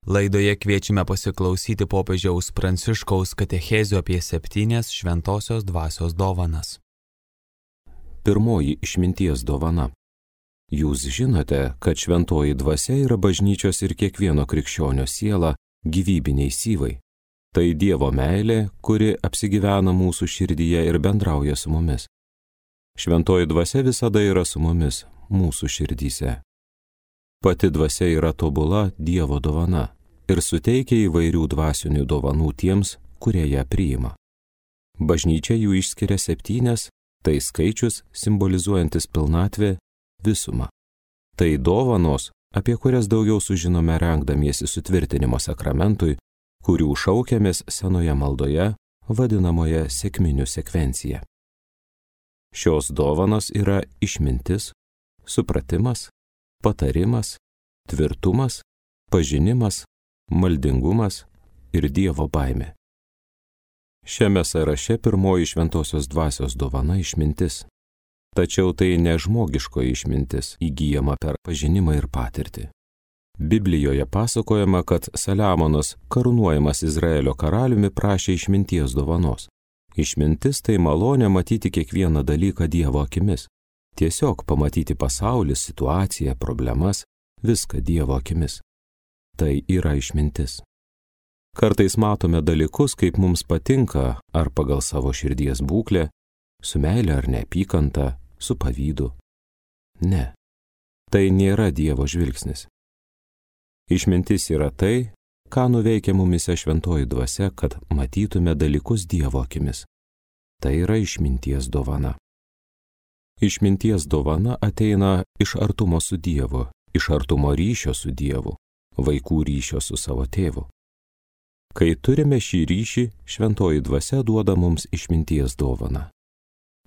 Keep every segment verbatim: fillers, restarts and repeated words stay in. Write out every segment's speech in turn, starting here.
Laidoje kviečiame pasiklausyti popiežiaus Pranciškaus katechezių apie septynias šventosios dvasios dovanas. Pirmoji išminties dovana. Jūs žinote, kad šventoji dvasia yra bažnyčios ir kiekvieno krikščionio siela gyvybiniai syvai. Tai Dievo meilė, kuri apsigyvena mūsų širdyje ir bendrauja su mumis. Šventoji dvasia visada yra su mumis, mūsų širdyse. Pati dvasia yra tobula Dievo dovana ir suteikia įvairių dvasinių dovanų tiems, kurie ją priima. Bažnyčia jų išskiria septynias, tai skaičius simbolizuojantis pilnatvę, visumą. Tai dovanos, apie kurias daugiau sužinome rengdamiesi sutvirtinimo sakramentui, kurių šaukiamės senoje maldoje, vadinamoje sekminių sekvencija. Šios dovanos yra išmintis, supratimas, patarimas, tvirtumas, pažinimas, maldingumas ir Dievo baimė. Šiame sąraše pirmoji šventosios dvasios dovana išmintis. Tačiau tai ne žmogiškoji išmintis įgyjama per pažinimą ir patirtį. Biblijoje pasakojama, kad Saliamonas, karūnuojamas Izraelio karaliumi, prašė išminties dovanos. Išmintis tai malonė matyti kiekvieną dalyką Dievo akimis. Tiesiog pamatyti pasaulį, situaciją, problemas, viską Dievo akimis. Tai yra išmintis. Kartais matome dalykus, kaip mums patinka, ar pagal savo širdies būklę, su meile ar neapykanta, su pavydu. Ne, tai nėra Dievo žvilgsnis. Išmintis yra tai, ką nuveikia mumise šventoji dvasia, kad matytume dalykus Dievo akimis. Tai yra išminties dovana. Išminties dovana ateina iš artumo su Dievu, iš artumo ryšio su Dievu, vaikų ryšio su savo tėvu. Kai turime šį ryšį, šventoji dvasia duoda mums išminties dovaną.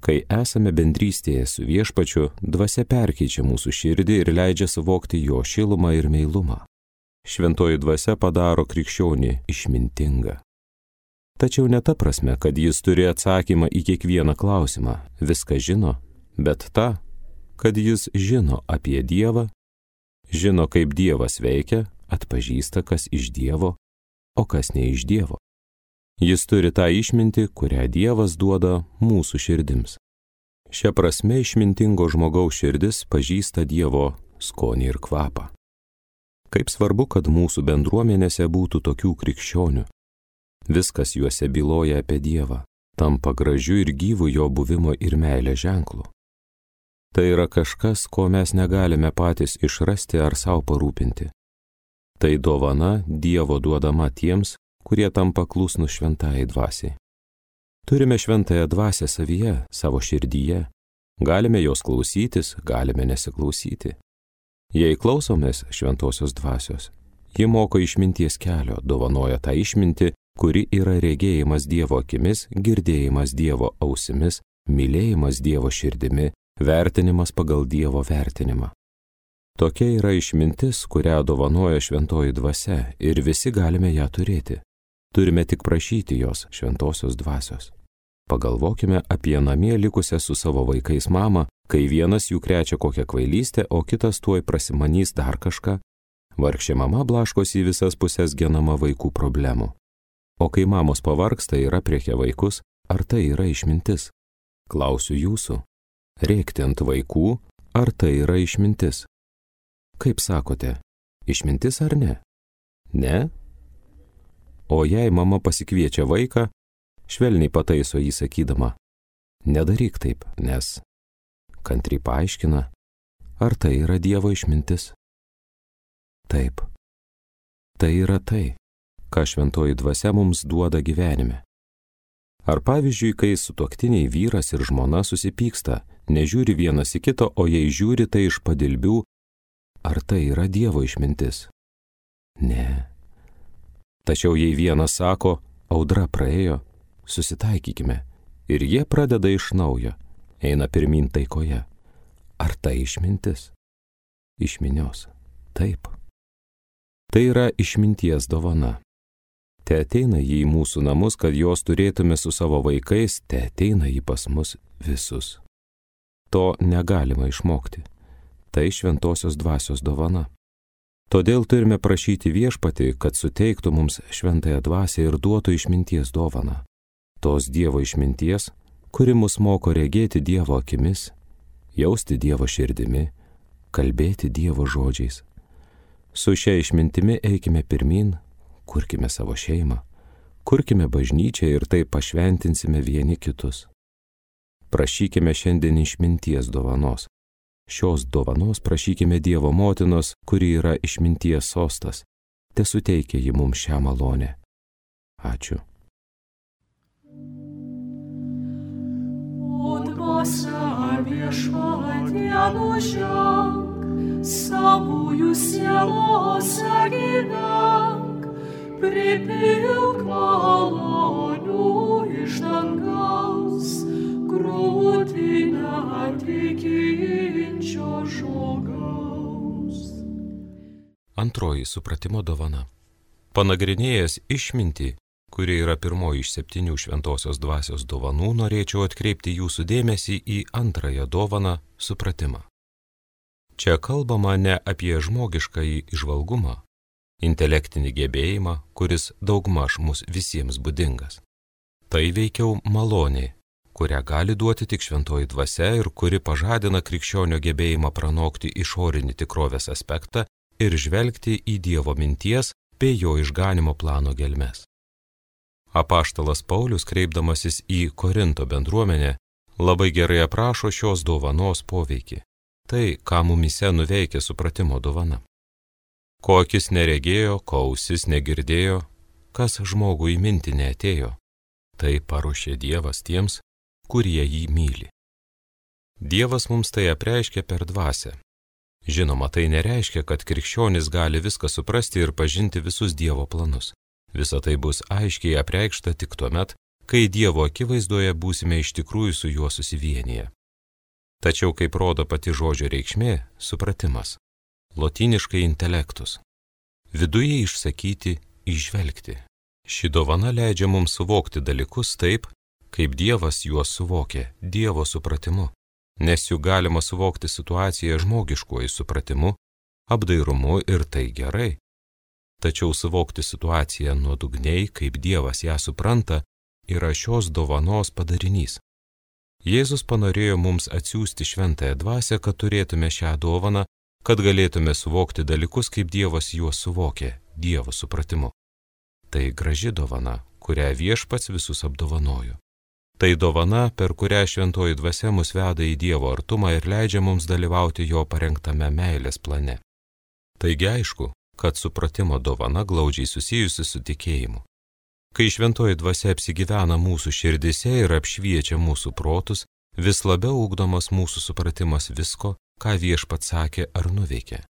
Kai esame bendrystėje su Viešpačiu, dvasia perkeičia mūsų širdį ir leidžia suvokti jo šilumą ir meilumą. Šventoji dvasia padaro krikščionį išmintingą. Tačiau ne ta prasme, kad jis turi atsakymą į kiekvieną klausimą, viską žino, bet ta, kad jis žino apie Dievą, žino, kaip Dievas veikia, atpažįsta, kas iš Dievo, o kas ne iš Dievo. Jis turi tą išmintį, kurią Dievas duoda mūsų širdims. Šia prasme išmintingo žmogaus širdis pažįsta Dievo skonį ir kvapą. Kaip svarbu, kad mūsų bendruomenėse būtų tokių krikščionių. Viskas juose byloja apie Dievą, tampa gražiu ir gyvu jo buvimo ir meilės ženklu. Tai yra kažkas, ko mes negalime patys išrasti ar savo parūpinti. Tai dovana Dievo duodama tiems, kurie tampa klusnūs šventajai dvasiai. Turime šventąją dvasią savyje, savo širdyje. Galime jos klausytis, galime nesiklausyti. Jei klausomės šventosios dvasios, ji moko išminties kelio, dovanoja tą išmintį, kuri yra regėjimas Dievo akimis, girdėjimas Dievo ausimis, mylėjimas Dievo širdimi, vertinimas pagal Dievo vertinimą. Tokia yra išmintis, kurią dovanoja šventoji dvasia ir visi galime ją turėti. Turime tik prašyti jos šventosios dvasios. Pagalvokime apie namie likusią su savo vaikais mamą, kai vienas jų krečia kokią kvailystę, o kitas tuoj prasimanys dar kažką. Vargšė mama blaškosi į visas pusės genama vaikų problemų. O kai mamos pavargsta ir aprėkia vaikus, ar tai yra išmintis? Klausiu jūsų. Rėkti ant vaikų, ar tai yra išmintis? Kaip sakote, išmintis ar ne? Ne? O jei mama pasikviečia vaiką, švelniai pataiso jį sakydama, nedaryk taip, nes kantriai paaiškina, ar tai yra Dievo išmintis? Taip. Tai yra tai, ką šventoji dvasia mums duoda gyvenime. Ar pavyzdžiui, kai sutuoktiniai vyras ir žmona susipyksta, nežiūri vienas į kito, o jei žiūri tai iš padilbių, ar tai yra Dievo išmintis? Ne. Tačiau jei vienas sako, audra praėjo, susitaikykime, ir jie pradeda iš naujo, eina pirmyn taikoje. Ar tai išmintis? Išminios. Taip. Tai yra išminties dovana. Te ateina jį į mūsų namus, kad jos turėtume su savo vaikais, te ateina jį pas mus visus. To negalima išmokti. Tai šventosios dvasios dovana. Todėl turime prašyti Viešpatį, kad suteiktų mums šventąją dvasią ir duotų išminties dovaną. Tos Dievo išminties, kuri mus moko regėti Dievo akimis, jausti Dievo širdimi, kalbėti Dievo žodžiais. Su šia išmintimi eikime pirmin, kurkime savo šeimą, kurkime bažnyčią ir taip pašventinsime vieni kitus. Prašykime šiandien išminties dovanos. Šios dovanos prašykime Dievo motinos, kuri yra išminties sostas. Te suteikia ji mums šią malonę. Ačiū. O dvasia Viešpatie nuženk, savųjų sielose gyvenk, pripilk malonių iš dangaus, krūtinę tikinčio žmogaus. Antroji supratimo dovana. Panagrinėjęs išmintį, kuri yra pirmoji iš septynių šventosios dvasios dovanų, norėčiau atkreipti jūsų dėmesį į antrąją dovaną – supratimą. Čia kalbama ne apie žmogiškąjį įžvalgumą, intelektinį gebėjimą, kuris daugmaž mus visiems būdingas. Tai veikiau malonė, kurią gali duoti tik šventoji dvasia ir kuri pažadina krikščionio gebėjimą pranokti išorinį tikrovės aspektą ir žvelgti į Dievo minties bei jo išganimo plano gelmes. Apaštalas Paulius, kreipdamasis į Korinto bendruomenę, labai gerai aprašo šios dovanos poveikį. Tai, ką mumyse nuveikia supratimo dovana. Ko akis neregėjo, ko ausis negirdėjo, kas žmogui į mintį neatėjo, tai paruošė Dievas tiems, kurie jį myli. Dievas mums tai apreiškia per dvasią. Žinoma, tai nereiškia, kad krikščionis gali viską suprasti ir pažinti visus Dievo planus. Visa tai bus aiškiai apreikšta tik tuomet, kai Dievo akivaizdoje būsime iš tikrųjų su juo susivienyje. Tačiau, kaip rodo pati žodžio reikšmė, supratimas. Lotyniškai intelektus. Viduje išsakyti, įžvelgti. Ši dovana leidžia mums suvokti dalykus taip, kaip Dievas juos suvokė, Dievo supratimu. Nes juk galima suvokti situaciją žmogiškuoju supratimu, apdairumu ir tai gerai. Tačiau suvokti situaciją nuodugniai, kaip Dievas ją supranta, yra šios dovanos padarinys. Jėzus panorėjo mums atsiųsti šventąją dvasią, kad turėtume šią dovaną, kad galėtume suvokti dalykus, kaip Dievas juos suvokė, Dievo supratimu. Tai graži dovana, kurią Viešpats visus apdovanojo. Tai dovana, per kurią šventoji dvasia mus veda į Dievo artumą ir leidžia mums dalyvauti jo parengtame meilės plane. Taigi aišku, kad supratimo dovana glaudžiai susijusi su tikėjimu. Kai šventoji dvasia apsigyvena mūsų širdise ir apšviečia mūsų protus, vis labiau ugdomas mūsų supratimas visko, ką Viešpats sakė ar nuveikė.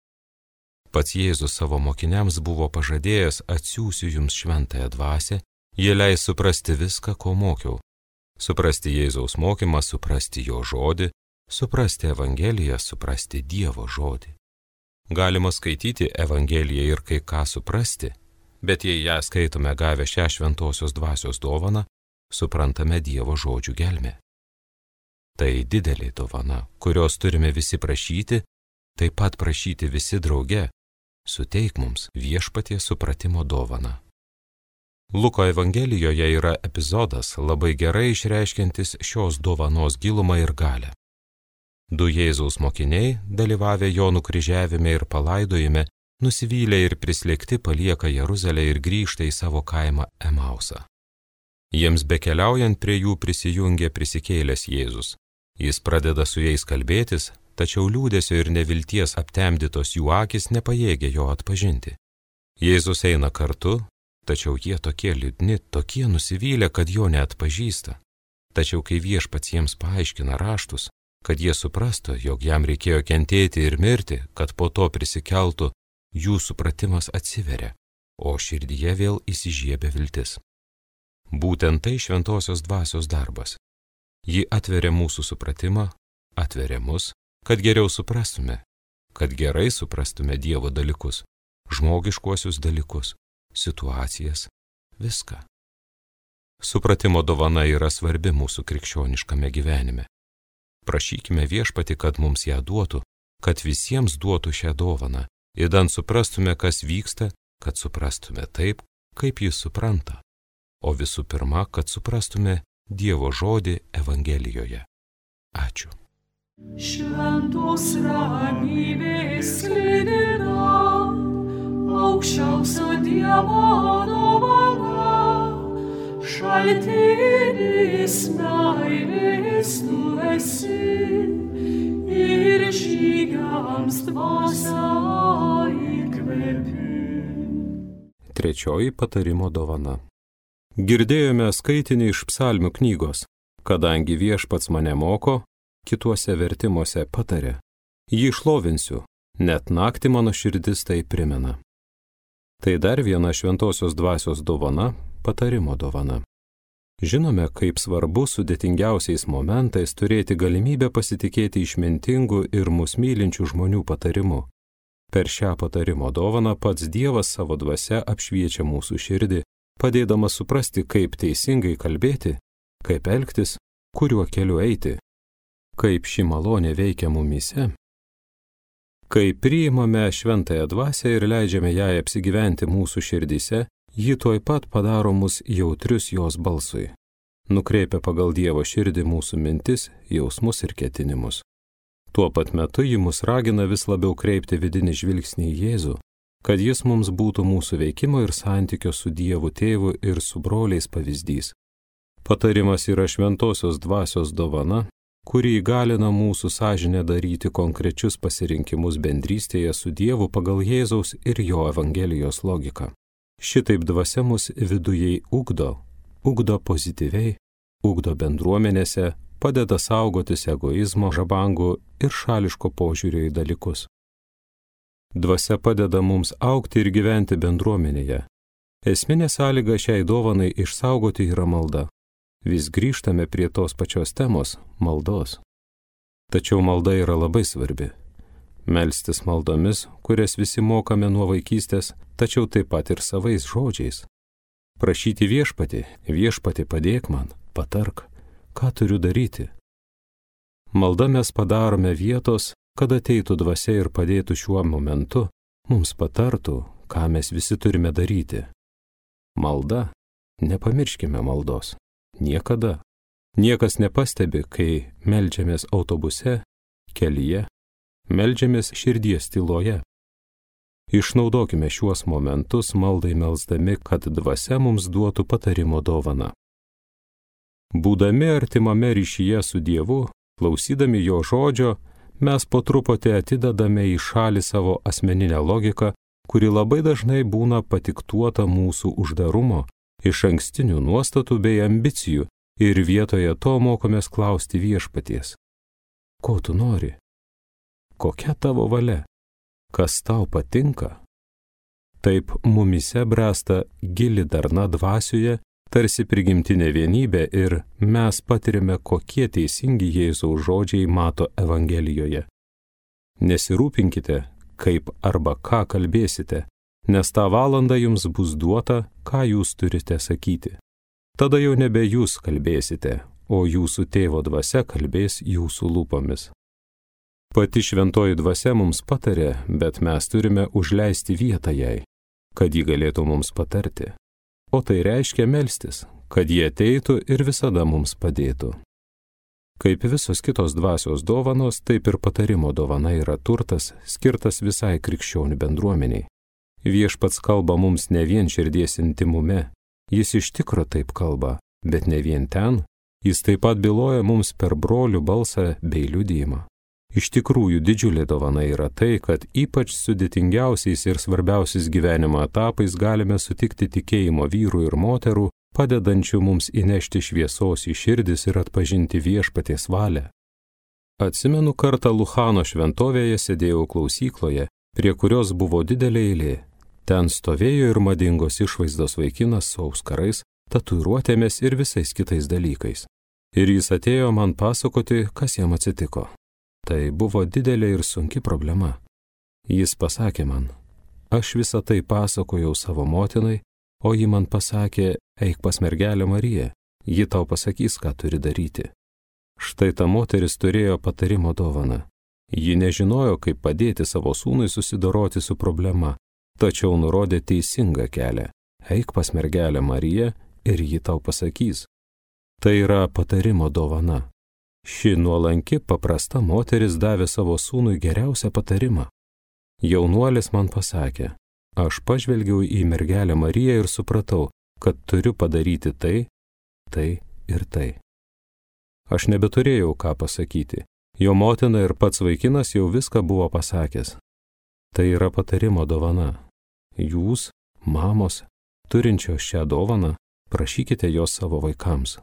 Pats Jėzus savo mokiniams buvo pažadėjęs: atsiųsiu jums šventąją dvasią, jie leis suprasti viską, ko mokiau. Suprasti Jėzaus mokymą, suprasti jo žodį, suprasti Evangeliją, suprasti Dievo žodį. Galima skaityti Evangeliją ir kai ką suprasti, bet jei ją skaitome gavę šią šventosios dvasios dovaną, suprantame Dievo žodžių gelmę. Tai didelė dovana, kurios turime visi prašyti, taip pat prašyti visi drauge. Suteik mums Viešpaties supratimo dovaną. Luko Evangelijoje yra epizodas labai gerai išreiškiantis šios dovanos gilumą ir galią. Du Jėzaus mokiniai, dalyvavę jo nukryžiavime ir palaidojime, nusivylę ir prislėgti palieka Jeruzalę ir grįžta į savo kaimą Emausą. Jiems bekeliaujant prie jų prisijungia prisikėlęs Jėzus. Jis pradeda su jais kalbėtis, tačiau liūdesio ir nevilties aptemdytos jų akys nepajėgia jo atpažinti. Jėzus eina kartu, tačiau jie tokie liūdni, tokie nusivylę, kad jo neatpažįsta. Tačiau kai Viešpats jiems paaiškina raštus, kad jie suprastų, jog jam reikėjo kentėti ir mirti, kad po to prisikeltų, jų supratimas atsiveria, o širdyje vėl įsižiebia viltis. Būtent tai šventosios dvasios darbas. Ji atveria mūsų supratimą, atveria mus, kad geriau suprastume, kad gerai suprastume Dievo dalykus, žmogiškuosius dalykus, situacijas, viską. Supratimo dovana yra svarbi mūsų krikščioniškame gyvenime. Prašykime Viešpatį, kad mums ją duotų, kad visiems duotų šią dovaną įdant suprastume, kas vyksta, kad suprastume taip, kaip jis supranta, o visų pirma, kad suprastume Dievo žodį Evangelijoje. Ačiū. Šventos ramybės sklidina, aukščiausio Dievo dovana, šaltinis meilės tu esi ir žygiams dvasia įkvepi. Trečioji patarimo dovana. Girdėjome skaitinį iš psalmių knygos, kadangi viešpats mane moko, kituose vertimuose patarė, jį šlovinsiu, net naktį mano širdis tai primena. Tai dar viena šventosios dvasios dovana, patarimo dovana. Žinome, kaip svarbu sudėtingiausiais momentais turėti galimybę pasitikėti išmintingų ir mus mylinčių žmonių patarimu. Per šią patarimo dovaną pats Dievas savo dvasia apšviečia mūsų širdį, padėdamas suprasti, kaip teisingai kalbėti, kaip elgtis, kuriuo keliu eiti. Kaip ši malonė veikia mumyse. Kai priimame šventąją dvasią ir leidžiame jai apsigyventi mūsų širdyse, ji tuoj pat padaro mus jautrius jos balsui. Nukreipia pagal Dievo širdį mūsų mintis, jausmus ir ketinimus. Tuo pat metu ji mus ragina vis labiau kreipti vidinį žvilgsnį į Jėzų, kad jis mums būtų mūsų veikimo ir santykio su Dievu tėvu ir su broliais pavyzdys. Patarimas yra šventosios dvasios dovana, kuri įgalina mūsų sąžinę daryti konkrečius pasirinkimus bendrystėje su Dievu pagal Jėzaus ir jo Evangelijos logiką. Šitaip dvasia mus vidujai ugdo, ugdo pozityviai, ugdo bendruomenėse, padeda saugotis egoizmo, žabangų ir šališko požiūrio į dalykus. Dvasia padeda mums augti ir gyventi bendruomenėje. Esminė sąlyga šiai dovanai išsaugoti yra malda. Vis grįžtame prie tos pačios temos – maldos. Tačiau malda yra labai svarbi. Melstis maldomis, kurias visi mokame nuo vaikystės, tačiau taip pat ir savais žodžiais. Prašyti viešpatį, viešpatį padėk man, patark, ką turiu daryti. Malda mes padarome vietos, kad ateitų dvasia ir padėtų šiuo momentu, mums patartų, ką mes visi turime daryti. Malda, nepamirškime maldos. Niekada. Niekas nepastebi, kai meldžiamės autobuse, kelyje, meldžiamės širdies tyloje. Išnaudokime šiuos momentus maldai melsdami, kad dvasia mums duotų patarimo dovaną. Būdami artimame ryšyje su Dievu, klausydami jo žodžio, mes po truputį atidedame į šalį savo asmeninę logiką, kuri labai dažnai būna patiktuota mūsų uždarumo, iš ankstinių nuostatų bei ambicijų ir vietoje to mokomės klausti viešpaties. Ko tu nori? Kokia tavo valia? Kas tau patinka? Taip mumyse bręsta gili darna dvasioje, tarsi prigimtinė vienybė ir mes patirime, kokie teisingi Jėzaus žodžiai mato Evangelijoje. Nesirūpinkite, kaip arba ką kalbėsite, nes tą valandą jums bus duota, ką jūs turite sakyti. Tada jau nebe jūs kalbėsite, o jūsų tėvo dvasia kalbės jūsų lūpomis. Pati šventoji dvasia mums patarė, bet mes turime užleisti vietą jai, kad ji galėtų mums patarti. O tai reiškia melstis, kad ji ateitų ir visada mums padėtų. Kaip visos kitos dvasios dovanos, taip ir patarimo dovana yra turtas, skirtas visai krikščionių bendruomeniai. Viešpats kalba mums ne vien širdies intimume, jis iš tikro taip kalba, bet ne vien ten, jis taip pat byloja mums per brolių balsą bei liudijimą. Iš tikrųjų didžiulė dovana yra tai, kad ypač sudėtingiausiais ir svarbiausiais gyvenimo etapais galime sutikti tikėjimo vyrų ir moterų, padedančių mums įnešti šviesos į širdis ir atpažinti viešpaties valią. Atsimenu, kartą Luchano šventovėje sėdėjau klausykloje, prie kurios buvo didelė eilė. Ten stovėjo ir madingos išvaizdos vaikinas su auskarais, tatuiruotėmis ir visais kitais dalykais. Ir jis atėjo man pasakoti, kas jam atsitiko. Tai buvo didelė ir sunki problema. Jis pasakė man, aš visą tai pasakojau savo motinai, o ji man pasakė, eik pas mergelę Mariją, ji tau pasakys, ką turi daryti. Štai ta moteris turėjo patarimo dovaną. Ji nežinojo, kaip padėti savo sūnui susidoroti su problema, tačiau nurodė teisingą kelią. Eik pas mergelę Mariją ir ji tau pasakys. Tai yra patarimo dovana. Ši nuolanki, paprasta moteris davė savo sūnui geriausią patarimą. Jaunuolis man pasakė, aš pažvelgiau į mergelę Mariją ir supratau, kad turiu padaryti tai, tai ir tai. Aš nebeturėjau ką pasakyti. Jo motina ir pats vaikinas jau viską buvo pasakęs. Tai yra patarimo dovana. Jūs, mamos, turinčios šią dovaną, prašykite jos savo vaikams.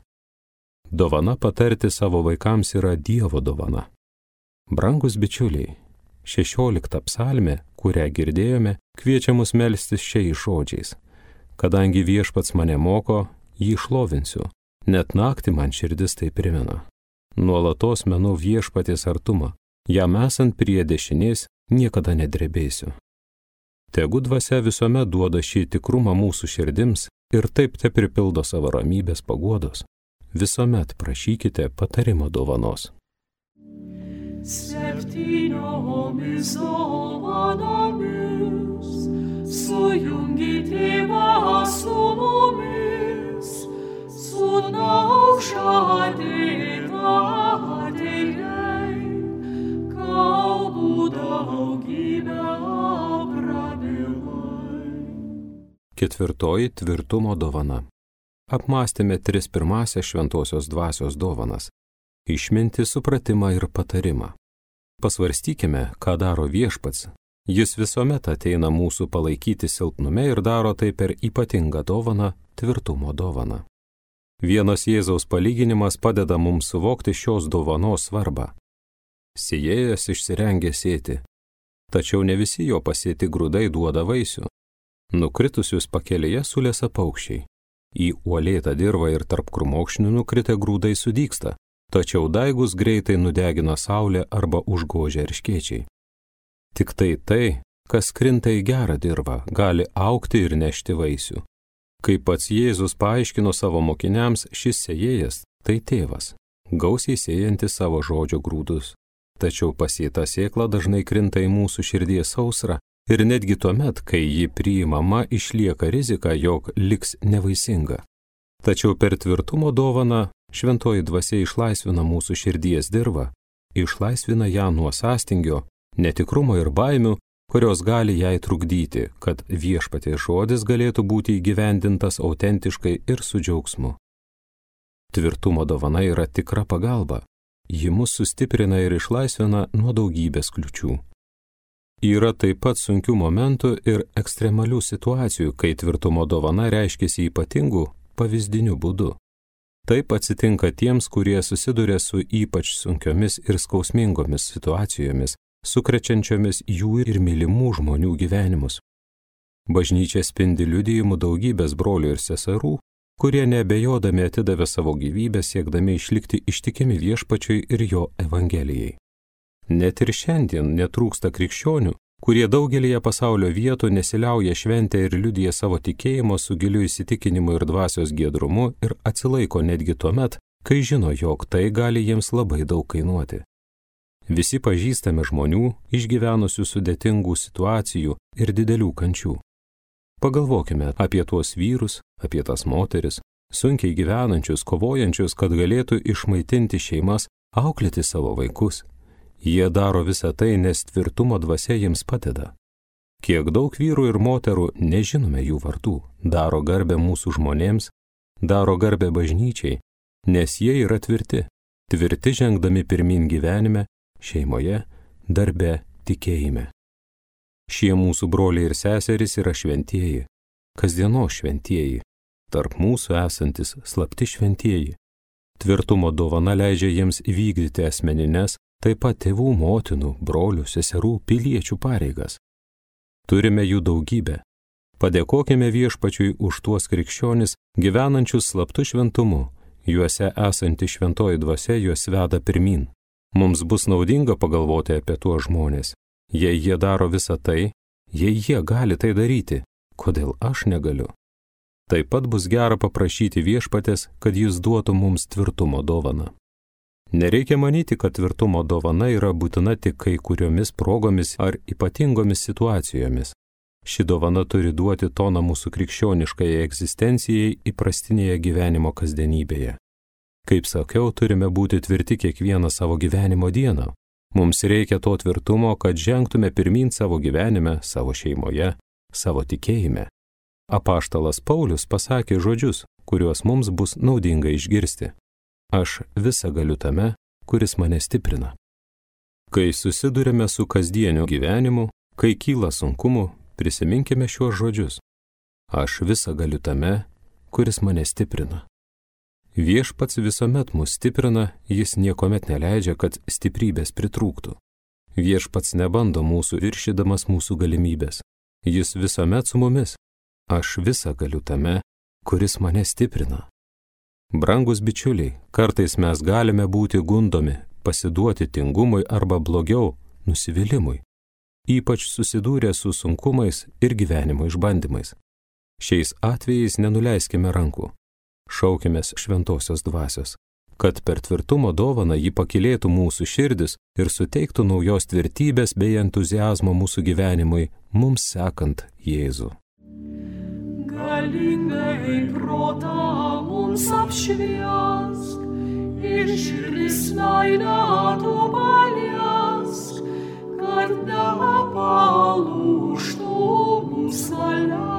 Dovana patarti savo vaikams yra Dievo dovana. Brangus bičiuliai, šešiolikta psalmė, kurią girdėjome, kviečia mus melstis šiais žodžiais. Kadangi viešpats mane moko, jį šlovinsiu, net naktį man širdis tai primena. Nuolatos menu viešpaties artumą, jam esant prie dešinės niekada nedrebėsiu. Tegu dvasia visuomet duoda šį tikrumą mūsų širdims ir taip te pripildo savo ramybės paguodos. Visuomet prašykite patarimo dovanos. Septyniomis dovanomis sujungi tėvą su mumis, sūnau žadėtą atėjai, kalbų daugybę prabilai. Ketvirtoji tvirtumo dovana. Apmąstėme tris pirmąsias šventosios dvasios dovanas – išmintį, supratimą ir patarimą. Pasvarstykime, ką daro viešpats. Jis visuomet ateina mūsų palaikyti silpnume ir daro tai per ypatingą dovaną – tvirtumo dovaną. Vienas Jėzaus palyginimas padeda mums suvokti šios dovanos svarbą. Sėjėjas išsirengė sėti, tačiau ne visi jo pasėti grūdai duoda vaisių. Nukritusius pakelėje sulėsa paukščiai. Į uolėtą dirvą ir tarp krūmokšnių nukritę grūdai sudygsta, tačiau daigus greitai nudegina saulė arba užgožia erškėčiai. Tik tai tai, kas krinta į gerą dirvą, gali augti ir nešti vaisių. Kaip pats Jėzus paaiškino savo mokiniams, šis sėjėjas – tai tėvas, gausiai sėjantis savo žodžio grūdus. Tačiau pasėta sėkla dažnai krinta į mūsų širdies sausrą ir netgi tuomet, kai ji priimama, išlieka rizika, jog liks nevaisinga. Tačiau per tvirtumo dovaną šventoji dvasia išlaisvina mūsų širdies dirvą, išlaisvina ją nuo sąstingio, netikrumo ir baimių, kurios gali jai trukdyti, kad viešpaties žodis galėtų būti įgyvendintas autentiškai ir su džiaugsmu. Tvirtumo dovana yra tikra pagalba. Ji mus sustiprina ir išlaisvina nuo daugybės kliučių. Yra taip pat sunkių momentų ir ekstremalių situacijų, kai tvirtumo dovana reiškiasi ypatingų, pavyzdinių būdų. Taip atsitinka tiems, kurie susiduria su ypač sunkiomis ir skausmingomis situacijomis, sukrečiančiomis jų ir mylimų žmonių gyvenimus. Bažnyčia spindi liudijimų daugybės brolių ir seserų, kurie neabejodami atidavė savo gyvybę siekdami išlikti ištikimi viešpačiui ir jo evangelijai. Net ir šiandien netrūksta krikščionių, kurie daugelyje pasaulio vietų nesiliauja šventę ir liudija savo tikėjimo su giliu įsitikinimu ir dvasios giedrumu ir atsilaiko netgi tuomet, kai žino, jog tai gali jiems labai daug kainuoti. Visi pažįstame žmonių, išgyvenusių sudėtingų situacijų ir didelių kančių. Pagalvokime apie tuos vyrus, apie tas moteris, sunkiai gyvenančius, kovojančius, kad galėtų išmaitinti šeimas, auklėti savo vaikus. Jie daro visą tai, nes tvirtumo dvasia jiems padeda. Kiek daug vyrų ir moterų, nežinome jų vardų, daro garbę mūsų žmonėms, daro garbę bažnyčiai, nes jie yra tvirti, tvirti žengdami pirmin gyvenime, šeimoje, darbe, tikėjime. Šie mūsų broliai ir seserys yra šventieji, kasdienos šventieji, tarp mūsų esantis slapti šventieji. Tvirtumo dovana leidžia jiems įvykdyti asmenines, taip pat tėvų, motinų, brolių, seserų, piliečių pareigas. Turime jų daugybę. Padėkokime viešpačiui už tuos krikščionis, gyvenančius slaptu šventumu, juose esanti šventoji dvasia juos veda pirmin. Mums bus naudinga pagalvoti apie tuos žmonės. Jei jie daro visą tai, jei jie gali tai daryti, kodėl aš negaliu? Taip pat bus gera paprašyti viešpatės, kad jis duotų mums tvirtumo dovaną. Nereikia manyti, kad tvirtumo dovana yra būtina tik kai kuriomis progomis ar ypatingomis situacijomis. Ši dovana turi duoti toną mūsų krikščioniškai egzistencijai įprastinėje gyvenimo kasdienybėje. Kaip sakiau, turime būti tvirti kiekvieną savo gyvenimo dieną. Mums reikia to tvirtumo, kad žengtume pirmyn savo gyvenime, savo šeimoje, savo tikėjime. Apaštalas Paulius pasakė žodžius, kuriuos mums bus naudinga išgirsti. Aš visą galiu tame, kuris mane stiprina. Kai susidurime su kasdieniu gyvenimu, kai kyla sunkumu, prisiminkime šiuos žodžius. Aš visą galiu tame, kuris mane stiprina. Viešpats visuomet mus stiprina, jis niekuomet neleidžia, kad stiprybės pritrūktų. Viešpats nebando mūsų viršydamas mūsų galimybės. Jis visuomet su mumis. Aš visą galiu tame, kuris mane stiprina. Brangus bičiuliai, kartais mes galime būti gundomi, pasiduoti tingumui arba blogiau, nusivylimui, ypač susidūrę su sunkumais ir gyvenimo išbandymais. Šiais atvejais nenuleiskime rankų. Šaukimės šventosios dvasios, kad per tvirtumo dovaną ji pakylėtų mūsų širdis ir suteiktų naujos tvirtybės bei entuziazmo mūsų gyvenimui, mums sekant Jėzų. Galingai protą mums apšviesk ir širdis meilę tu paliesk, kad nepalūžtų mūsų valia,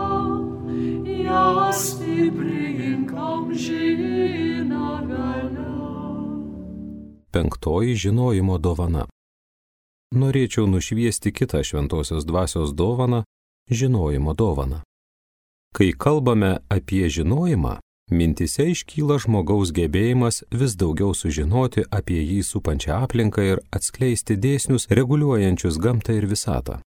ją stiprink amžiną galią. Penktoji žinojimo dovana. Norėčiau nušviesti kitą šventosios dvasios dovaną – žinojimo dovaną. Kai kalbame apie žinojimą, mintise iškyla žmogaus gebėjimas vis daugiau sužinoti apie jį supančią aplinką ir atskleisti dėsnius reguliuojančius gamtą ir visatą.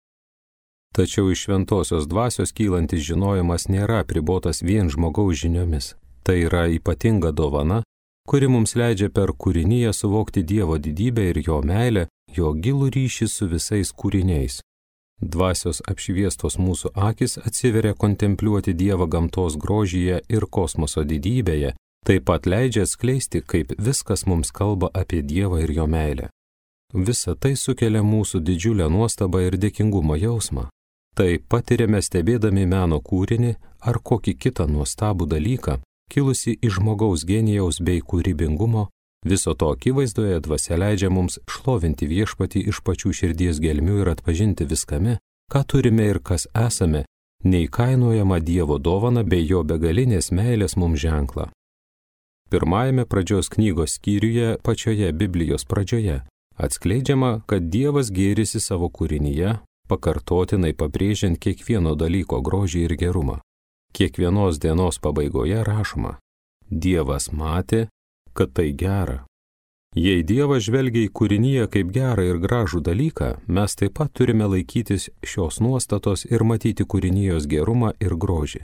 Tačiau iš šventosios dvasios kylantis žinojimas nėra apribotas vien žmogaus žiniomis. Tai yra ypatinga dovana, kuri mums leidžia per kūriniją suvokti Dievo didybę ir jo meilę, jo gilų ryšį su visais kūriniais. Dvasios apšviestos mūsų akis atsiveria kontempliuoti Dievą gamtos grožyje ir kosmoso didybėje, taip pat leidžia atskleisti, kaip viskas mums kalba apie Dievą ir jo meilę. Visa tai sukelia mūsų didžiulę nuostabą ir dėkingumo jausmą. Tai patiriame stebėdami meno kūrinį ar kokį kitą nuostabų dalyką, kilusi iš žmogaus genijaus bei kūrybingumo. Viso to akivaizdoje dvasia leidžia mums šlovinti Viešpatį iš pačių širdies gelmių ir atpažinti viskame, ką turime ir kas esame, neįkainojama Dievo dovana bei jo begalinės meilės mums ženklą. Pirmajame pradžios knygos skyriuje, pačioje Biblijos pradžioje, atskleidžiama, kad Dievas gėrisi savo kūrinyje, pakartotinai pabrėžiant kiekvieno dalyko grožį ir gerumą. Kiekvienos dienos pabaigoje rašoma: Dievas matė, kad tai gera. Jei Dievas žvelgia į kūrinyje kaip gerą ir gražų dalyką, mes taip pat turime laikytis šios nuostatos ir matyti kūrinijos gerumą ir grožį.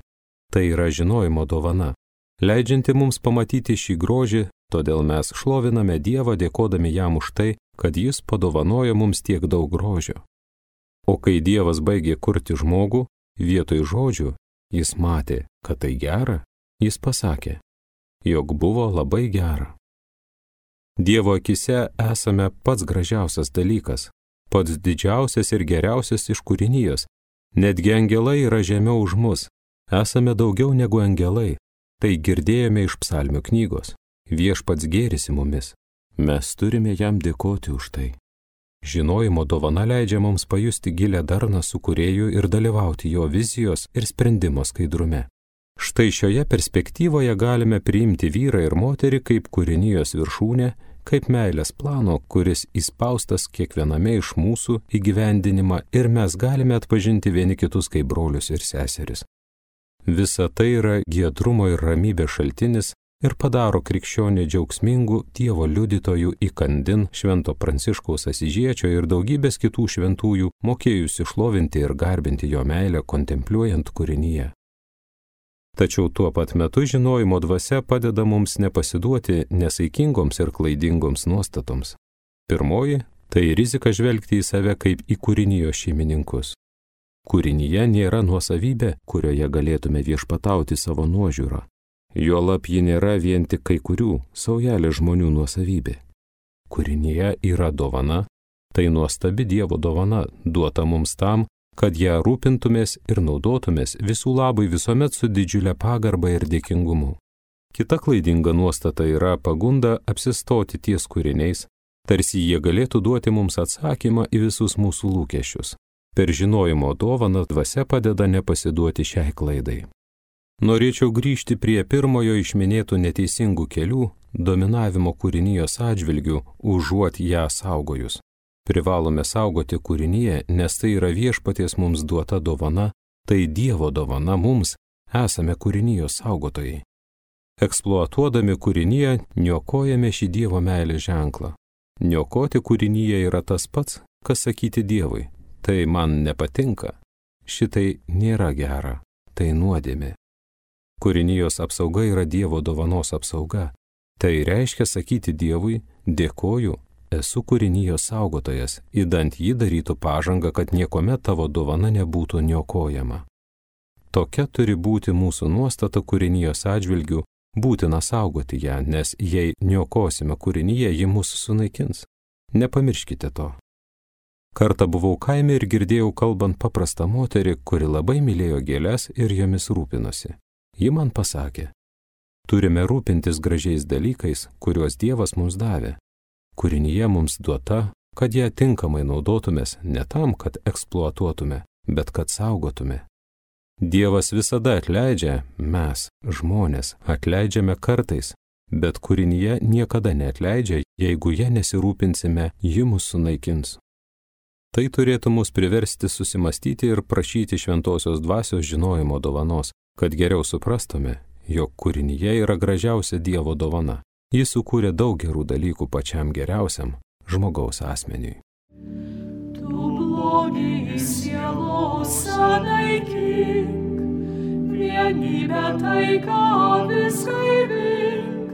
Tai yra žinojimo dovana, leidžianti mums pamatyti šį grožį, todėl mes šloviname Dievą dėkodami jam už tai, kad jis padovanojo mums tiek daug grožio. O kai Dievas baigė kurti žmogų, vietoj žodžių, jis matė, kad tai gera, jis pasakė, jog buvo labai gera. Dievo akise esame pats gražiausias dalykas, pats didžiausias ir geriausias iš kūrinijos. Netgi angelai yra žemiau už mus, esame daugiau negu angelai. Tai girdėjome iš psalmių knygos. Viešpats gėrisi mumis, mes turime jam dėkoti už tai. Žinojimo dovana leidžia mums pajusti gilę darną su Kūrėju ir dalyvauti jo vizijos ir sprendimo skaidrume. Štai šioje perspektyvoje galime priimti vyrą ir moterį kaip kūrinijos viršūnę, kaip meilės plano, kuris įspaustas kiekviename iš mūsų įgyvendinimą ir mes galime atpažinti vieni kitus kaip brolius ir seseris. Visa tai yra giedrumo ir ramybės šaltinis ir padaro krikščionį džiaugsmingų Dievo liudytojų įkandin Švento Pranciškaus Asyžiečio ir daugybės kitų šventųjų, mokėjusių šlovinti ir garbinti jo meilę kontempliuojant kūrinyje. Tačiau tuo pat metu žinojimo dvasia padeda mums nepasiduoti nesaikingoms ir klaidingoms nuostatoms. Pirmoji – tai rizika žvelgti į save kaip į kūrinijos šeimininkus. Kūrinyje nėra nuosavybė, kurioje galėtume viešpatauti savo nuožiūrą. Juolab ji nėra vien tik kai kurių, saujelė žmonių nuosavybė. Kūrinyje yra dovana, tai nuostabi Dievo dovana, duota mums tam, kad ją rūpintumės ir naudotumės visų labui visuomet su didžiulė pagarba ir dėkingumu. Kita klaidinga nuostata yra pagunda apsistoti ties kūriniais, tarsi jie galėtų duoti mums atsakymą į visus mūsų lūkesčius. Per žinojimo dovaną dvasia padeda nepasiduoti šiai klaidai. Norėčiau grįžti prie pirmojo iš minėtų neteisingų kelių – dominavimo kūrinijos atžvilgių, užuot ją saugojus. Privalome saugoti kūrinyje, nes tai yra viešpaties mums duota dovana, tai Dievo dovana mums, esame kūrinijos saugotojai. Eksploatuodami kūrinyje, niokojame šį Dievo meilės ženklą. Niokoti kūrinyje yra tas pats, kas sakyti Dievui. Tai man nepatinka, šitai nėra gera, tai nuodėmė. Kūrinijos apsauga yra Dievo dovanos apsauga. Tai reiškia sakyti Dievui, dėkoju, esu kūrinijos saugotojas, idant jį darytų pažangą, kad niekuomet tavo dovana nebūtų niokojama. Tokia turi būti mūsų nuostata kūrinijos atžvilgių, būtina saugoti ją, nes jei niokosime kūrinyje, ji mūsų sunaikins. Nepamirškite to. Kartą buvau kaime ir girdėjau kalbant paprastą moterį, kuri labai mylėjo gėles ir jomis rūpinosi. Ji man pasakė, turime rūpintis gražiais dalykais, kuriuos Dievas mums davė. Kūrinyje mums duota, kad ją tinkamai naudotumės, ne tam, kad eksploatuotume, bet kad saugotume. Dievas visada atleidžia, mes, žmonės, atleidžiame kartais, bet kūrinyje niekada neatleidžia, jeigu ją nesirūpinsime, ji mus sunaikins. Tai turėtų mus priversti susimastyti ir prašyti šventosios dvasios žinojimo dovanos, kad geriau suprastume, jog kūrinyje yra gražiausia Dievo dovana. Jis sukūrė daug gerų dalykų pačiam geriausiam žmogaus asmeniui. Tu blogį sielos naikink, vienybę taiką vis gaivink,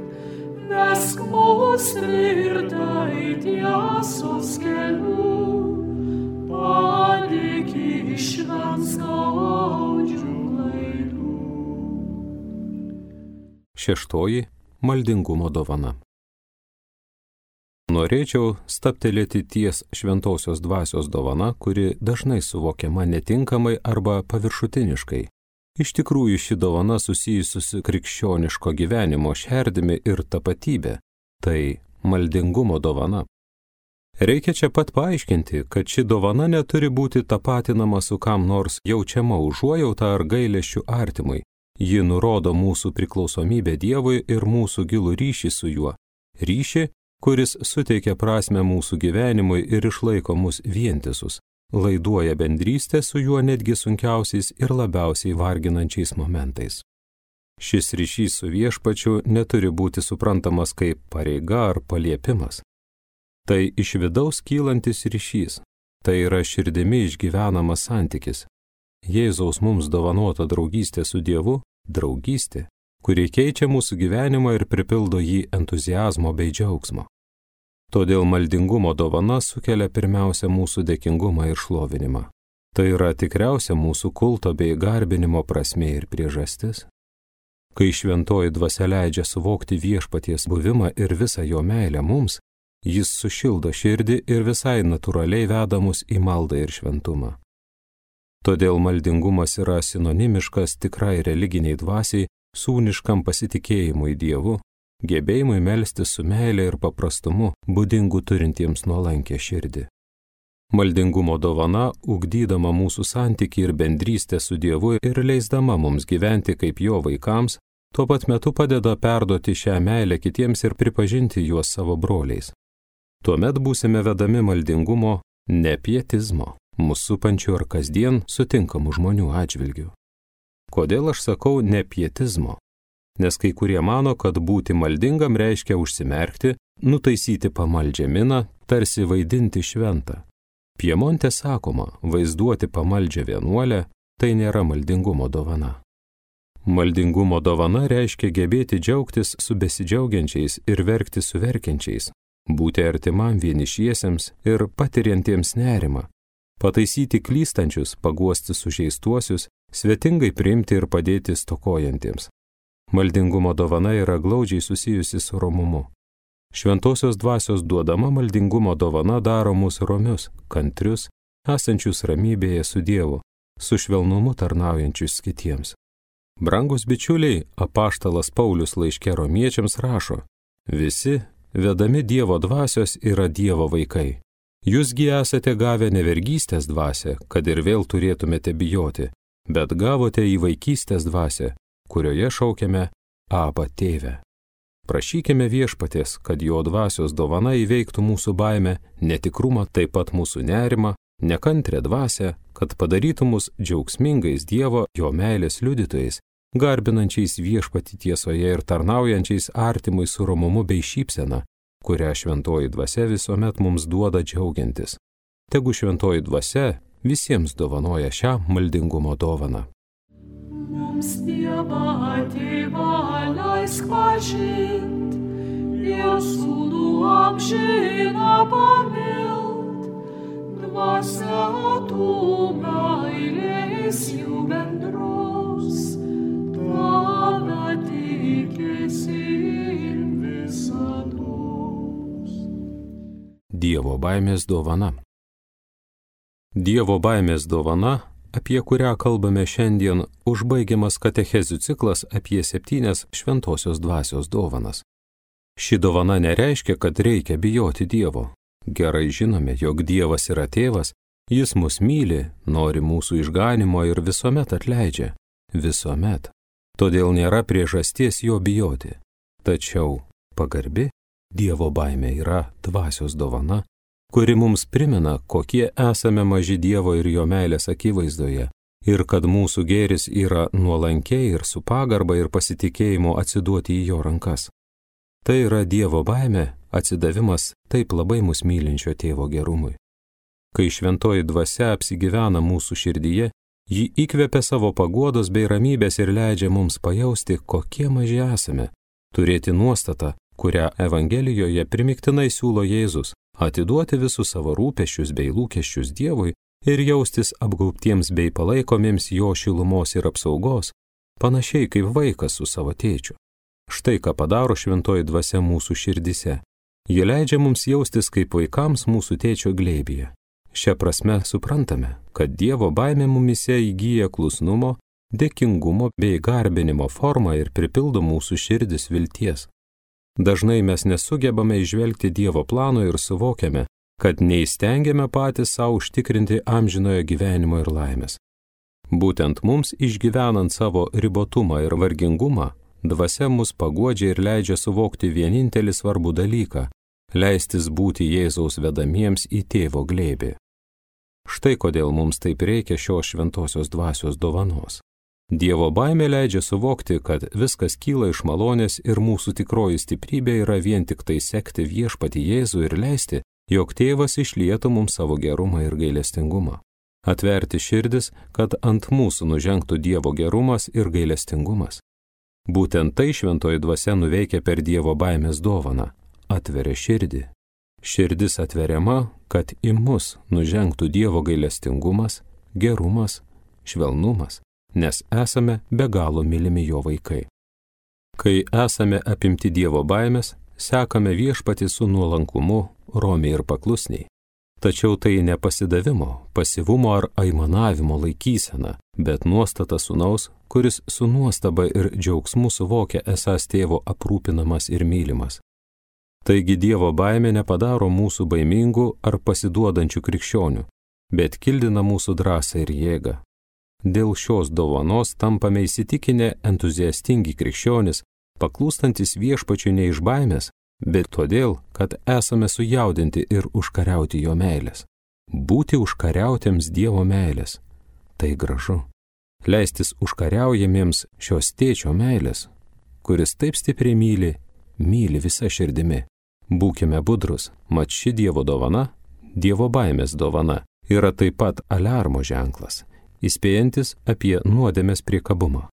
vesk mus tvirtai tiesos keliu. Padėk išvengt skaudžių klaidų. Šeštoji – maldingumo dovana. Norėčiau stabtelėti ties šventosios dvasios dovana, kuri dažnai suvokiama netinkamai arba paviršutiniškai. Iš tikrųjų ši dovana susijusi su krikščioniško gyvenimo šerdimi ir tapatybė – tai maldingumo dovana. Reikia čia pat paaiškinti, kad ši dovana neturi būti tapatinama su kam nors jaučiama užuojauta ar gailesčiu artimui. Ji nurodo mūsų priklausomybę Dievui ir mūsų gilų ryšį su juo. Ryšį, kuris suteikia prasmę mūsų gyvenimui ir išlaiko mus vientisus, laiduoja bendrystę su juo netgi sunkiausiais ir labiausiai varginančiais momentais. Šis ryšys su viešpačiu neturi būti suprantamas kaip pareiga ar paliepimas. Tai iš vidaus kylantis ryšys, tai yra širdimi išgyvenamas santykis. Jėzaus mums dovanota draugystė su Dievu – draugystė, kuri keičia mūsų gyvenimą ir pripildo jį entuziazmo bei džiaugsmo. Todėl maldingumo dovana sukelia pirmiausia mūsų dėkingumą ir šlovinimą. Tai yra tikriausia mūsų kulto bei garbinimo prasmė ir priežastis. Kai šventoji dvasia leidžia suvokti viešpaties buvimą ir visą jo meilę mums, jis sušildo širdį ir visai natūraliai veda mus į maldą ir šventumą. Todėl maldingumas yra sinonimiškas tikrai religiniai dvasiai, sūniškam pasitikėjimui Dievu, gebėjimui melstis su meile ir paprastumu, būdingu turintiems nuolankę širdį. Maldingumo dovana, ugdydama mūsų santykį ir bendrystę su Dievu ir leisdama mums gyventi kaip jo vaikams, tuo pat metu padeda perduoti šią meilę kitiems ir pripažinti juos savo broliais. Tuomet būsime vedami maldingumo, ne pietizmo, mūsų supančių ar kasdien sutinkamų žmonių atžvilgių. Kodėl aš sakau ne pietizmo? Nes kai kurie mano, kad būti maldingam reiškia užsimerkti, nutaisyti pamaldžią miną, tarsi vaidinti šventą. Piemonte sakoma, vaizduoti pamaldžią vienuolę, tai nėra maldingumo dovana. Maldingumo dovana reiškia gebėti džiaugtis su besidžiaugiančiais ir verkti su verkiančiais, būti artimam vienišiesiems ir patiriantiems nerimą, pataisyti klystančius, paguosti sužeistuosius, svetingai priimti ir padėti stokojantiems. Maldingumo dovana yra glaudžiai susijusi su romumu. Šventosios dvasios duodama maldingumo dovana daro mus romius, kantrius, esančius ramybėje su Dievu, su švelnumu tarnaujančius kitiems. Brangus bičiuliai, apaštalas Paulius laiške romiečiams rašo: visi, vedami Dievo dvasios, yra Dievo vaikai. Jūsgi esate gavę ne vergystės dvasią, kad ir vėl turėtumėte bijoti, bet gavote į vaikystės dvasią, kurioje šaukiame Aba tėve. Prašykime viešpaties, kad jo dvasios dovana įveiktų mūsų baimę, netikrumą, taip pat mūsų nerimą, nekantrę dvasią, kad padarytų mus džiaugsmingais Dievo, jo meilės liudytojais, garbinančiais viešpatį tiesoje ir tarnaujančiais artimui su romumu bei šypsena, kurią šventoji dvasia visuomet mums duoda džiaugiantis. Tegu šventoji dvasia visiems dovanoja šią maldingumo dovaną. Mums Dievą Tėvą leisk pažint, ir sūnų amžiną pamilt, dvasia tų meilės jų bendros, tave tikėsi ir visados. Dievo baimės dovana. Dievo baimės dovana, apie kurią kalbame šiandien, užbaigiamas katechezių ciklas apie septynias šventosios dvasios dovanas. Ši dovana nereiškia, kad reikia bijoti Dievo. Gerai žinome, jog Dievas yra tėvas, jis mus myli, nori mūsų išganimo ir visuomet atleidžia. Visuomet. Todėl nėra priežasties jo bijoti. Tačiau pagarbi Dievo baimė yra dvasios dovana, kuri mums primena, kokie esame maži Dievo ir jo meilės akivaizdoje, ir kad mūsų gėris yra nuolankiai ir su pagarba ir pasitikėjimu atsiduoti į jo rankas. Tai yra Dievo baimė, atsidavimas taip labai mus mylinčio tėvo gerumui. Kai šventoji dvasia apsigyvena mūsų širdyje, ji įkvepia savo paguodos bei ramybės ir leidžia mums pajausti, kokie maži esame, turėti nuostatą, kurią Evangelijoje primiktinai siūlo Jėzus, atiduoti visus savo rūpesčius bei lūkesčius Dievui ir jaustis apgaubtiems bei palaikomiems jo šilumos ir apsaugos, panašiai kaip vaikas su savo tėčiu. Štai ką padaro šventoji dvasia mūsų širdise. Ji leidžia mums jaustis kaip vaikams mūsų tėčio glėbyje. Šia prasme suprantame, kad Dievo baimė mumise įgyja klusnumo, dėkingumo bei garbinimo formą ir pripildo mūsų širdis vilties. Dažnai mes nesugebame įžvelgti Dievo plano ir suvokiame, kad neįstengiame patys savo užtikrinti amžinojo gyvenimo ir laimės. Būtent mums išgyvenant savo ribotumą ir vargingumą, dvasia mus paguodžia ir leidžia suvokti vienintelį svarbų dalyką – leistis būti Jėzaus vedamiems į tėvo glėbį. Štai kodėl mums taip reikia šios šventosios dvasios dovanos. Dievo baimė leidžia suvokti, kad viskas kyla iš malonės ir mūsų tikroji stiprybė yra vien tik tai sekti viešpatį Jėzų ir leisti, jog tėvas išlietų mums savo gerumą ir gailestingumą. Atverti širdis, kad ant mūsų nužengtų Dievo gerumas ir gailestingumas. Būtent tai šventoji dvasia nuveikia per Dievo baimės dovaną. Atveria širdį. Širdis atveriama, kad į mus nužengtų Dievo gailestingumas, gerumas, švelnumas, nes esame be galo mylimi jo vaikai. Kai esame apimti Dievo baimės, sekame viešpatį su nuolankumu, romiai ir paklusniai. Tačiau tai ne pasidavimo, pasyvumo ar aimanavimo laikysena, bet nuostata sūnaus, kuris su nuostaba ir džiaugsmu suvokia esąs tėvo aprūpinamas ir mylimas. Taigi Dievo baimė nepadaro mūsų baimingų ar pasiduodančių krikščionių, bet kildina mūsų drąsą ir jėgą. Dėl šios dovanos tampame įsitikinę entuziastingi krikščionys, paklūstantis viešpačiui ne iš baimės, bet todėl, kad esame sujaudinti ir užkariauti jo meilės. Būti užkariautiems Dievo meilės – tai gražu. Leistis užkariaujamiems šios tėčio meilės, kuris taip stipriai myli, myli visa širdimi. Būkime budrus, mat ši Dievo dovana, Dievo baimės dovana, yra taip pat aliarmo ženklas, įspėjantis apie nuodėmės priekabumą.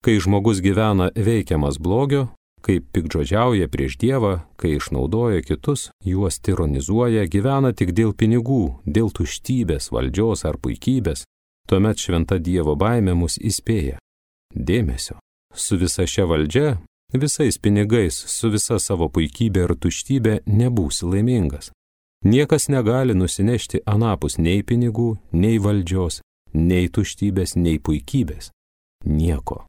Kai žmogus gyvena veikiamas blogio, kai piktžodžiauja prieš Dievą, kai išnaudoja kitus, juos tironizuoja, gyvena tik dėl pinigų, dėl tuštybės, valdžios ar puikybės, tuomet šventa Dievo baimė mus įspėja. Dėmesio. Su visa šia valdžia visais pinigais, su visa savo puikybė ir tuštybė nebūsi laimingas. Niekas negali nusinešti anapus nei pinigų, nei valdžios, nei tuštybės, nei puikybės. Nieko.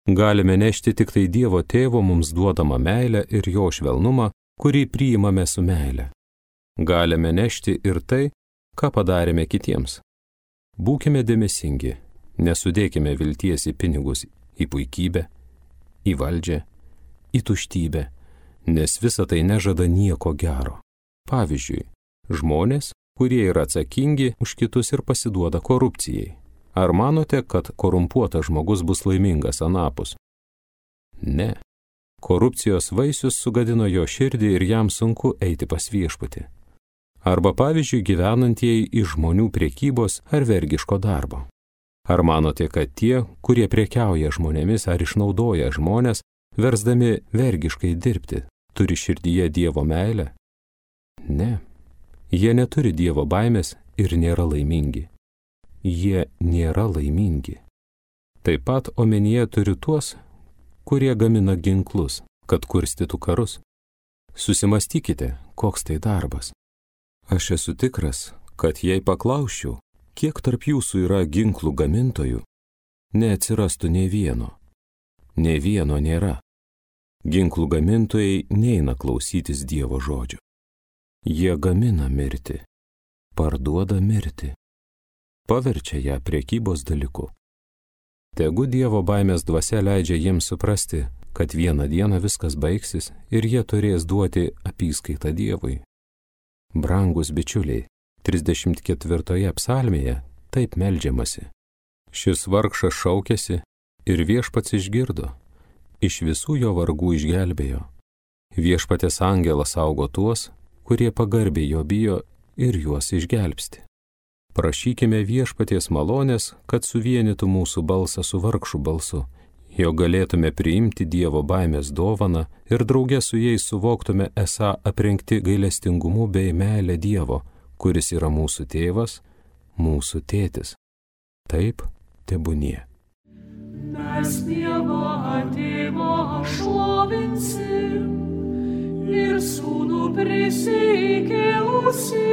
Galime nešti tik tai Dievo Tėvo mums duodamą meilę ir jo švelnumą, kurį priimame su meile. Galime nešti ir tai, ką padarėme kitiems. Būkime dėmesingi, nesudėkime vilties į pinigus, į puikybę, į valdžią, į tuštybę, nes visa tai nežada nieko gero. Pavyzdžiui, žmonės, kurie yra atsakingi už kitus ir pasiduoda korupcijai. Ar manote, kad korumpuotas žmogus bus laimingas anapus? Ne. Korupcijos vaisius sugadino jo širdį ir jam sunku eiti pas viešpatį. Arba pavyzdžiui gyvenantieji iš žmonių priekybos ar vergiško darbo. Ar manote, kad tie, kurie prekiauja žmonėmis ar išnaudoja žmonės, versdami vergiškai dirbti, turi širdyje Dievo meilę? Ne. Jie neturi Dievo baimės ir nėra laimingi. Jie nėra laimingi. Taip pat omenyje turiu tuos, kurie gamina ginklus, kad kurstytų karus. Susimastykite, koks tai darbas. Aš esu tikras, kad jei paklausčiau, kiek tarp jūsų yra ginklų gamintojų, neatsirastų nei vieno. Nei vieno nėra. Ginklų gamintojai neina klausytis Dievo žodžio. Jie gamina mirtį, parduoda mirtį, paverčia ją prekybos dalyku. Tegu Dievo baimės dvasia leidžia jiems suprasti, kad vieną dieną viskas baigsis ir jie turės duoti apyskaitą Dievui. Brangus bičiuliai, trisdešimt ketvirtoje psalmėje taip meldžiamasi. Šis vargšas šaukėsi ir viešpats išgirdo, iš visų jo vargų išgelbėjo. Viešpatės angelas saugo tuos, kurie pagarbiai jo bijo ir juos išgelbsti. Prašykime viešpaties malonės, kad suvienytų mūsų balsą su vargšų balsu, jo galėtume priimti Dievo baimės dovaną ir drauge su jais suvoktume esą aprengti gailestingumu bei meilę Dievo, kuris yra mūsų tėvas, mūsų tėtis. Taip, tebūnie. Mes Dievą Tėvą šlovinsim ir Sūnų prisikėlusį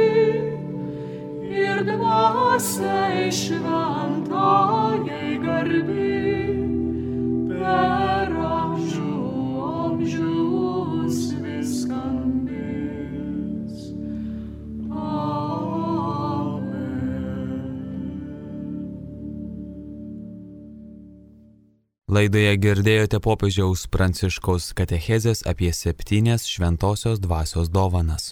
ir Dvasiai šventajai garbė per amžių amžius viskambės. Laidoje girdėjote popiežiaus Pranciškaus katechezės apie septynias šventosios dvasios dovanas.